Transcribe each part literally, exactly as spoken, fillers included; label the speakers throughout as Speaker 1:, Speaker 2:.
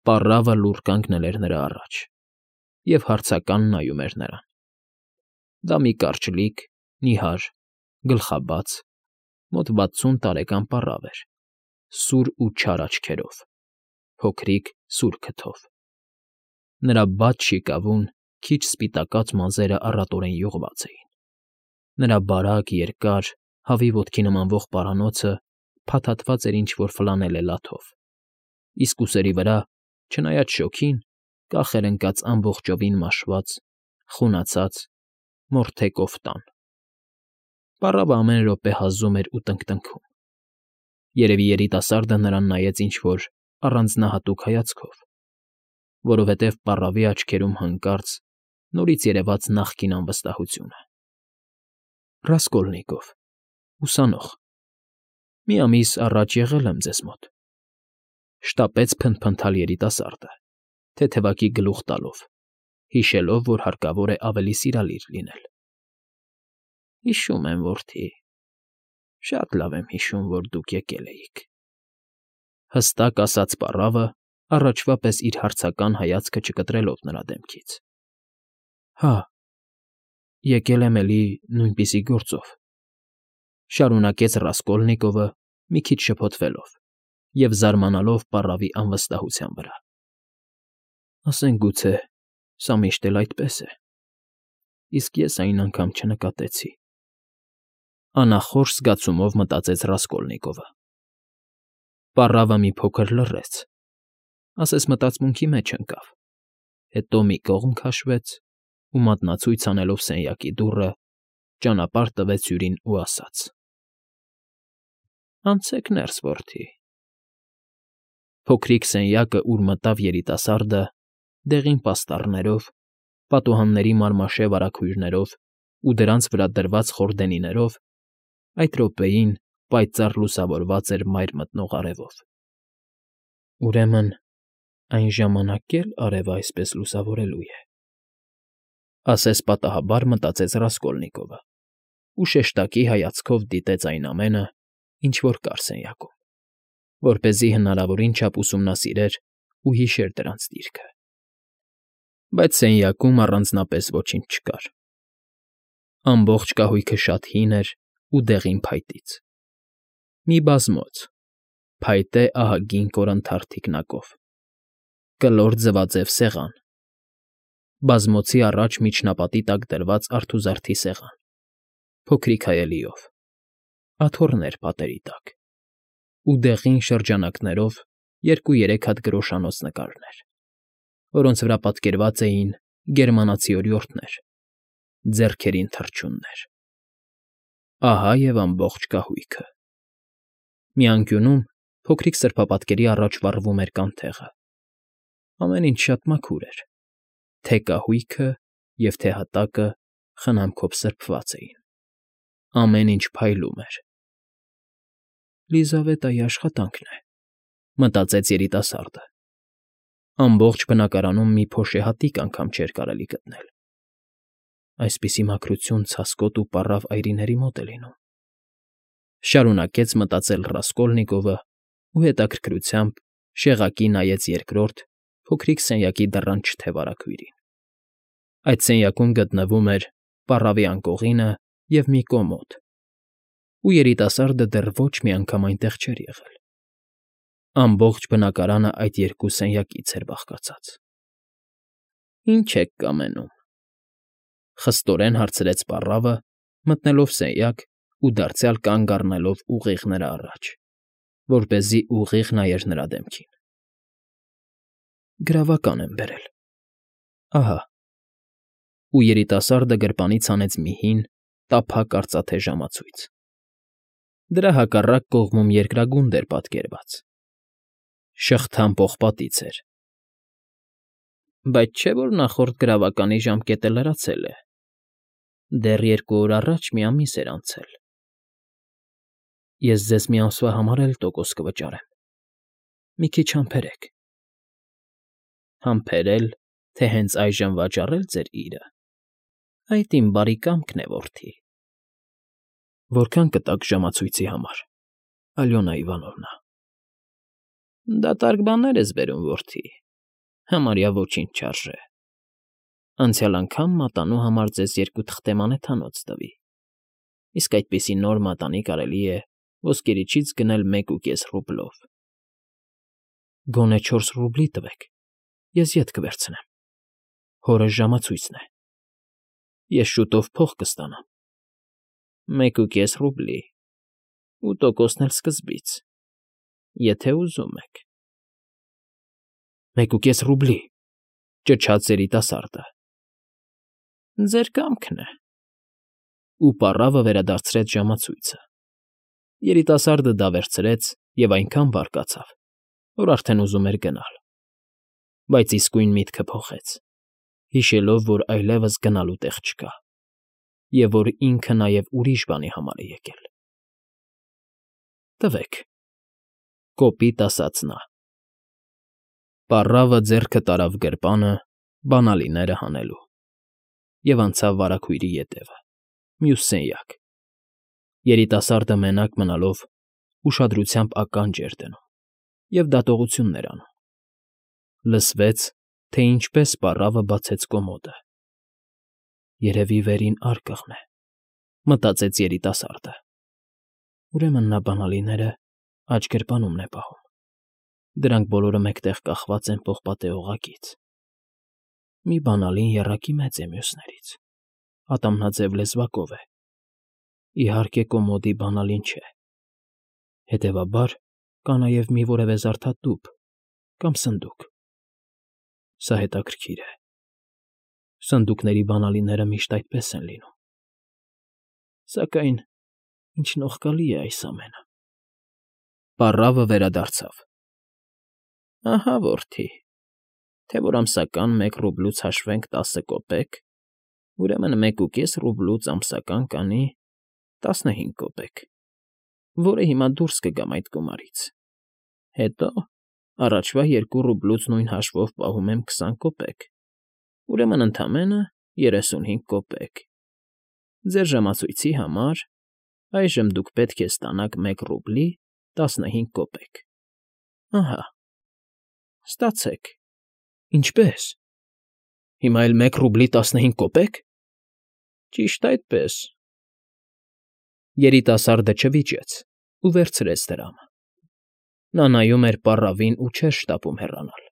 Speaker 1: Պառավը լուռ կանգնել էր նրա առաջ և հարցական նայում էր նրան. դա մի կարճլիկ, նիհար, գլխաբաց, մոտ վաթսուն տարեկան պառավ էր, սուր ու չար աչքերով, փոքրիկ սուր քթով. նրա բաց շիկավուն, քիչ սպիտակած մազերը առատորեն յուղված էին, նրա բարակ, երկար, հավի ոտքի նմանվող պարանոցը փաթաթված էր ինչ֊որ ֆլանելե լաթով, իսկ ուսերի վրա, չնայած շոգին, կախ էր ընկած ամբողջովին մաշված, խունացած, մորթե կոֆտան. պառավը ամեն րոպե հազում էր ու տնկտնքում. երևի երիտասարդը նրան նայեց ինչ֊որ առանձնահատուկ հայացքով, որովհետև պառավի աչքերում հանկարծ նորից երևաց նախկին անվստահությունը։ Ռասկոլնիկով, ուսանող, մի ամիս առաջ եղել եմ ձեզ մոտ,֊ շտապեց փնթփնթալ երիտասարդը, թեթևակի գլուխ տալով, հիշելով, որ հարկավոր է ավելի սիրալիր լինել։ ֊ Հիշում եմ, որդի, շատ լավ եմ հիշում, որ դուք եկել էիք,֊ հստակ ասաց պառավը, առաջվա պես իր հարցական հայացքը չկտրելով նրա դեմքից։ ֊ Հա, եկել եմ էլի նույնպիսի գործով,֊ շարունակեց Ռասկոլնիկովը, մի քիչ շփոթվելով և զարմանալով պառավի անվստահության վրա։ ֊ Ասենք գուցե սա միշտ էլ այդպես է, իսկ ես այն անգամ չնկատեցի,֊ անախորժ զգացումով մտածեց Ռասկոլնիկովը։ Պառավը մի փոքր լռեց, ասես մտածմունքի մեջ ընկավ, հետո մի կողմ քաշվեց ու մատնացույց անելով սենյակի դուռը, ճանապարհ տվեց հյուրին ու ասաց. «Անցեք ներս, որդի»։ Փոքրիկ սենյակը, ուր մտավ երիտասարդը, դեղին պաստառներով, պատուհանների մարմաշե վարագույրներով ու դրանց վրա դրված խորդենիներով, այդ րոպեին պայծառ լուսավորված էր մայր մտնող արևով։ «Ուրեմն այն ժամանակ էլ արևը այսպես լուսավորելու է,֊ ասես պատահաբար մտածեց Ռասկոլնիկովը ու շեշտակի հայացքով դիտեց այն ամենը, ինչ որ կար սենյակում, որպեսզի հնարավորին չափ ուսումնասիրեր ու հիշեր դրանց դիրքը։ Բայց սենյակում առանձնապես ոչինչ չկար. ամբողջ կահույքը շատ հին էր ու դեղին փայտից, մի բազմոց, փայտե ահագին կորանթար թիկնակով, կլոր ձվաձև սեղան, բազմոցի առաջ միջնապատի տակ դրված արթուզարդի սեղան, փոքրիկ հայելիով, աթոռներ պատերի տակ ու դեղին շրջանակներով երկու֊երեք հատ գրոշանոց նկարներ, որոնց վրա պատկերված էին գերմանացի օրիորդներ, ձեռքերին թռչուններ։ Ահա և ամբողջ կահույքը։ Մի անկյունում փոքրիկ սրբապատկերի առաջ վառվում էր կանթեղը։ Ամեն ինչ շատ մաքուր էր, թե կահույքը և թե հատակը խնամքով սրբված էին, ամեն ինչ փայլում էր։ «Լիզավետայի աշխատանքն է,֊ մտածեց երիտասարդը։ Ամբողջ բնակարանում մի փոշեհատիկ անգամ չէր կարելի գտնել։ Այսպիսի մաքրություն ցասկոտ ու պառավ այրիների մոտ է լինում,֊ շարունակեց մտածել Ռասկոլնիկովը ու հետաքրքրությամբ շեղակի նայեց երկրորդ, փոքրիկ սենյակի դռան չթե վարագույրին։ Այդ սենյակում գտնվում էր պառավի անկողինը և մի կոմոդ, ու երիտասարդը դեռ ոչ մի անգամ այնտեղ չէր եղել։ Ամբողջ բնակարանը այդ երկու սենյակից էր բաղկացած։ ֊ Ի՞նչ եք կամենում,֊ խստորեն հարցրեց պառավը, մտնելով սենյակ ու դարձյալ կանգ առնելով ուղիղ նրա առաջ, որպեսզի ուղիղ նայեր նրա դեմքին։ ֊ Գրավական եմ բերել, ահա…֊ ու երիտասարդը գրպանից հանեց մի հին, տափակ արծաթե ժամացույց։ Դրա հակառակ կողմում երկրագունդ էր պատկերված, շղթան պողպատից էր։ ֊ Բայց չէ՞ որ նախորդ գրավականի ժամկետը լրացել է, դեռ երկու օր առաջ մի ամիս էր անցել։ ֊ Ես ձեզ մի ամսվա համար էլ տոկոս կվճարեմ, մի քիչ համբերեք։ ֊ Համբերե՞լ, թե հենց այժմ վաճառել ձեր իրը, այդ իմ բարի կամքն է, որդի։ ֊ Որքա՞ն կտաք ժամացույցի համար, Ալյոնա Իվանովնա։ ֊ Դատարկ բաներ ես բերում, որդի, Համարյա ոչինչ չարժե։ Անցյալ անգամ մատանու համար ձեզ երկու թղթե մանեթանոց տվի, իսկ այդպիսի նոր մատանի կարելի է ոսկերիչից գնել մեկ ու կես ռուբլով։ Գոնե չորս ռուբլի տվեք, ես ետ կվերցնեմ, հորս ժամացույցն է, ես շուտով փող կստանամ։ Մեկ ու կես ռուբլի, ու տոկոսն էլ սկզբից, եթե ուզում եք։ Մեկ ու կես ռուբլի, ճչաց երիտասարդը։ Ձեր կամքն է։ Ու պառավը վերադարձրեց ժամացույցը։ Երիտասարդը դա վերցրեց և այնքան բարկացավ, որ արդեն ուզում էր գնալ, բայց իսկույն միտքը փոխեց, հիշելով, որ այլևս գնալու տեղ չկա, և որ ինքը նաև ուրիշ բանի համար է եկել։ Տվեք,֊ կոպիտ ասաց նա։ Պառավը ձեռքը տարավ գրպանը բանալիները հանելու և անցավ վարագույրի ետևը, մյուս սենյակ։ Երիտասարդը մենակ մնալով ուշադրությամբ ականջ էր դնում և դատողություններ անում։ Լսվեց, թե ինչպես պառավը բացեց կոմոդը։ Երևի վերին արկղն է, մտածեց երիտասարդը։ Ուրեմն նա բանալիները աջ գրպանումն է պահում։ Դրանք բոլորը մեկտեղ կախված են պողպատե օղակից։ Մի բանալին եռակի մեծ է մյուսներից, ատամնաձև լեզվակով է։ Իհարկե, կոմոդի բանալին չէ։ Հետևաբար, կա նաև մի որևէ զարդատուփ կամ սնդուկ։ Սա հետաքրքիր է։ Սնդուկների բանալիները միշտ այդպես են լինում։ Սակայն ինչ նողկալի է այս ամենը։ Պառավը վերադարձավ։ Ահա, որդի, թե որ ամսական մեկ ռուբլուց հաշվենք տասը կոպեկ, ուրեմն մեկ ու կես ռուբլուց ամսական կանի տասնհինգ կոպեկ, որը հիմա դուրս կգամ այդ գումարից։ Հետո առաջվա երկու ռուբլուց նույն հաշվով պահում եմ քսան կոպեկ, ուրեմն ընդամենը երեսունհինգ կոպեկ։ Ձեր ժամացույցի համար այժմ դուք պետք է ստանաք մեկ ռուբլի տասնհինգ կոպեկ։ Ահա, ստացեք։ Ինչպե՞ս։ Հիմա էլ մեկ ռուբլի տասնհինգ կոպե՞կ։ Ճիշտ այդպես։ Երիտասարդը չվիճեց ու վերցրեց դրամը։ Նա նայում էր պառավին ու չէր շտապում հեռանալ։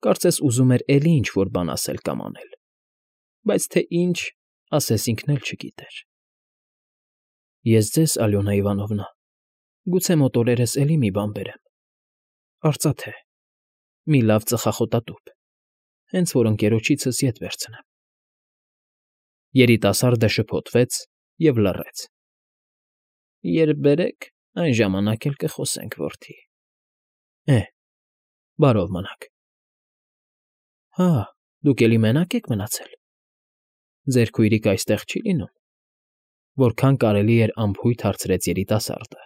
Speaker 1: Կարծես ուզում էր էլի ինչ֊որ բան ասել կամ անել, բայց թե ինչ, ասես ինքն էլ չգիտեր։ Ես ձեզ, Ալյոնա Իվանովնա, գուցե մոտ օրերս էլի մի բան բերեմ, արծաթե, մի լավ ծխախոտատուփ, հենց որ ընկերոջիցս ետ վերցնեմ։ Երիտասարդը շփոթվեց և լռեց։ Երբ բերեք, այն ժամանակ էլ կխոսենք, որդի։ Է, բարով մնաք։ Հա, դուք էլի մենակ եք մնացել։ Ձեր քույրիկը այստեղ չի լինում։ Որքան կարելի էր անփույթ հարցրեց երիտասարդը,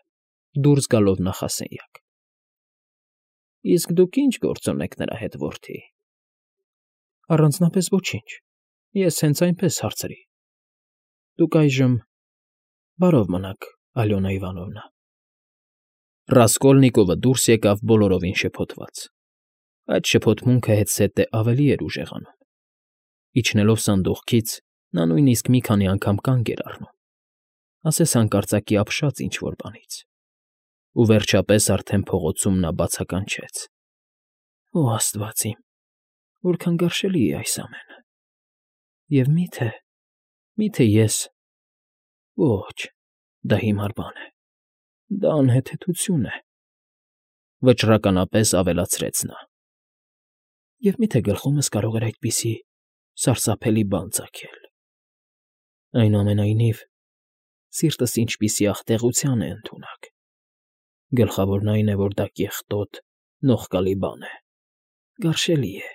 Speaker 1: դուրս գալով նախասենյակ։ Իսկ դուք ի՞նչ գործ ունեք նրա հետ, որդի։ Առանձնապես ոչինչ, ես հենց այնպես հարցրի։ Դուք այժմ… Բարով մնաք, Ալյոնա Իվանովնա։ Ռասկոլնիկովը դուրս եկավ բոլորովին շփոթված։ Այդ շփոթմունքը հետզհետե ավելի էր ուժեղանում։ Իջնելով սանդուղքից, նա նույնիսկ մի քանի անգամ կանգ էր առնում, ասես հանկարծակի ապշած ինչ֊որ բանից։ Ու վերջապես արդեն փողոցում նա բացականչեց. Օ աստված իմ, որքան գարշելի է այս ամենը։ Եվ մի՞թե, մի՞թե ես… Ոչ, դա հիմար բան է, դա անհեթեթություն է,֊ վճռականապես ավելացրեց նա։ Եվ մի՞թե գլխումս կարող էր այդպիսի սարսափելի բան ծագել։ Այնուամենայնիվ, սիրտս ինչպիսի աղտեղության է ընդունակ։ Գլխավորն այն է, որ դա կեղտոտ, նողկալի բան է, գարշելի է,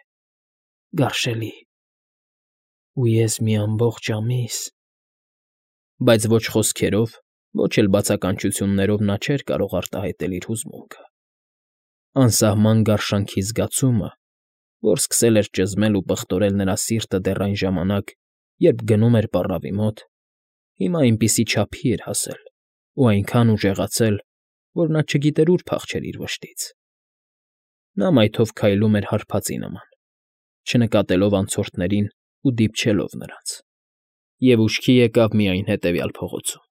Speaker 1: գարշելի։ Ու ես մի ամբողջ ամիս… Բայց ոչ խոսքերով, ոչ էլ բացականչություններով նա չէր կարող արտահայտել իր հուզմունքը։ Անսահման գարշանքի զգացումը, որ սկսել էր ճզմել ու պղտորել նրա սիրտը դեռ այն ժամանակ, երբ գնում էր պառավի մոտ, հիմա այնպիսի չափի էր հասել ու այնքան ուժեղացել, որ նա չգիտեր ուր փախչեր իր վշտից։ Նա մայթով քայլում էր հարբածի նման, չնկատելով անցորդներին ու դիպչելով նրանց, և ուշքի եկավ միայն հետևյալ փողոցում.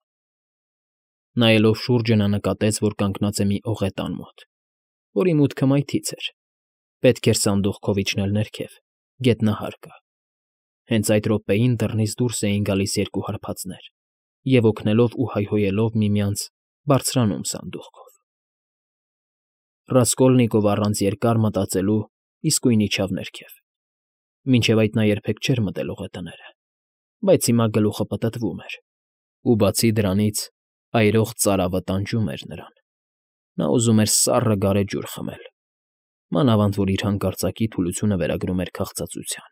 Speaker 1: նայելով շուրջը նա նկատեց, որ կանգնած է մի ողետան մոտ, որի մուտքը մայթից էր, պետք էր սանդուղքով իջնել ներքև, գետնահարկը, հենց այդ րոպեին դռնից դուրս էին գալիս երկու հարբածներ և, օգնելով ու հայհոյելով միմյանց, բարձրանում սանդուղքով. Ռասկոլնիկովը առանց երկար մտածելու իսկույն իջավ ներքև, մինչև այդ նա երբեք չէր մտել ողետները, բայց հիմա գլուխը պտտվում էր, ու, բացի դրանից, այրող ծարավը տանջում էր նրան, նա ուզում էր սառը գարեջուր խմել, մանավանդ որ իր հանկարծակի թուլությունը վերագրում էր քաղցածության.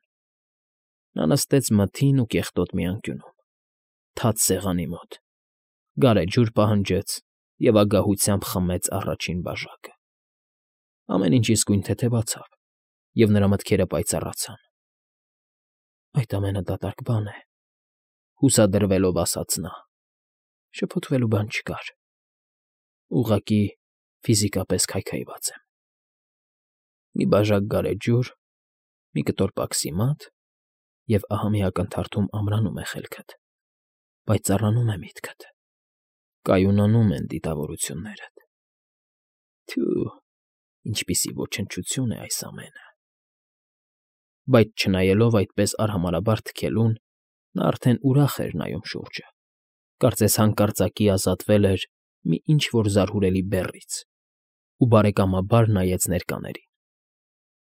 Speaker 1: նա նստեց մթին ու կեղտոտ մի անկյունում, թաց սեղանի մոտ, գարեջուր պահանջեց և ագահությամբ խմեց առաջին բաժակը. ամեն ինչ իսկույն թեթևացավ, և նրա մտքերը պայծառացան։ «Այդ ամենը դատարկ բան է,֊ հուսադրվելով ասաց նա,֊ շփոթվելու բան չկար, ուղղակի ֆիզիկապես քայքայված եմ։ Մի բաժակ գարեջուր, մի կտոր պաքսիմատ, և ահա մի ակնթարթում ամրանում է խելքդ, պայծառանում է միտքդ, կայունանում են դիտավորություններդ… Թյո՜ւ, ինչպիսի ոչնչություն է այս ամենը…» Բայց չնայելով այդպես արհամարհաբար թքելուն, նա արդեն ուրախ էր նայում շուրջը, կարծես հանկարծակի ազատվել էր մի ինչ֊որ զարհուրելի բեռից ու բարեկամաբար նայեց ներկաներին,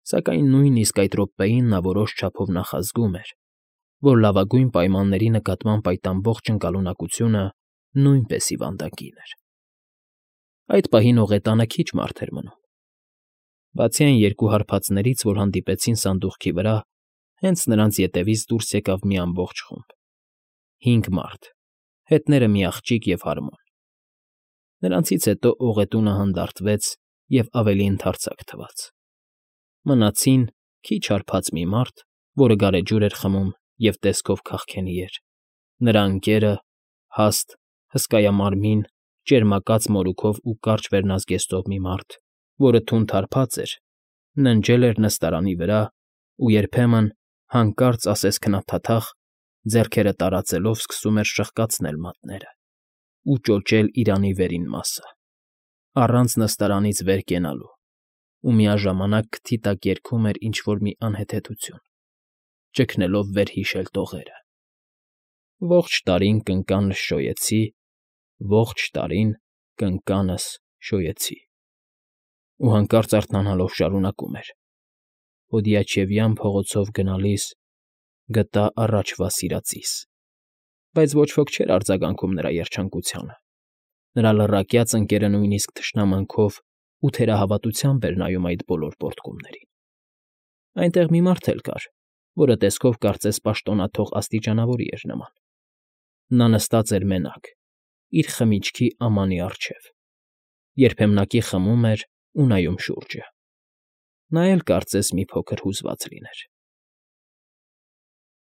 Speaker 1: սակայն նույնիսկ այդ րոպեին նա որոշ չափով նախազգում էր, որ լավագույն պայմանների նկատմամբ այդ ամբողջ ընկալունակությունը նույնպես հիվանդագին էր։ Այդ պահին ողետանը քիչ մարդ էր մնում, բացի այն երկու հարբածներից, որ հանդիպեցին սանդուղքի վրա, հենց նրանց ետևից դուրս եկավ մի ամբողջ խումբ, հինգ մարդ, հետները մի աղջիկ և հարմոն. նրանցից հետո ողետունը հանդարտվեց և ավելի ընդարձակ թվաց, մնացին քիչ հարբած մի մարդ, որը գարեջուր էր խմում և տեսքով քաղքենի էր, նրա ընկերը՝ հաստ, հսկայամարմին, ճերմակած մորուքով ու կարճ վերնազգեստով մի մարդ, որը թունդ հարբած էր, ննջել էր նստարանի վրա ու երբեմն, հանկարծ ասես քնափաթաղ, ձեռքերը տարածելով սկսում էր շրխկացնել մատները ու ճոճել իրանի վերին մասը, առանց նստարանից վեր կենալու, ու միաժամանակ քթի տակ երգում էր ինչ֊որ մի անհեթեթություն, ճգնելով վերհիշել տողերը. Ողջ տարին կնկանս շոյեցի, ողջ տարին կնկանս շոյեցի… ու հանկարծ արթնանալով շարունակում էր. Պոդիաչևյան փողոցով գնալիս գտա առաջվա սիրածիս… Բայց ոչ ոք չէր արձագանքում նրա երջանկությանը, նրա լռակյաց ընկերը նույնիսկ թշնամանքով ու թերահավատությամբ էր նայում այդ բոլոր պոռթկումներին… Այնտեղ մի մարդ էլ կար, որը տեսքով կարծես պաշտոնաթող աստիճանավորի էր նման. նա նստած էր մենակ, իր խմիչքի ամանի առջև, երբեմնակի խմում էր ու նայում շուրջը, նա էլ կարծես մի փոքր հուզված լիներ։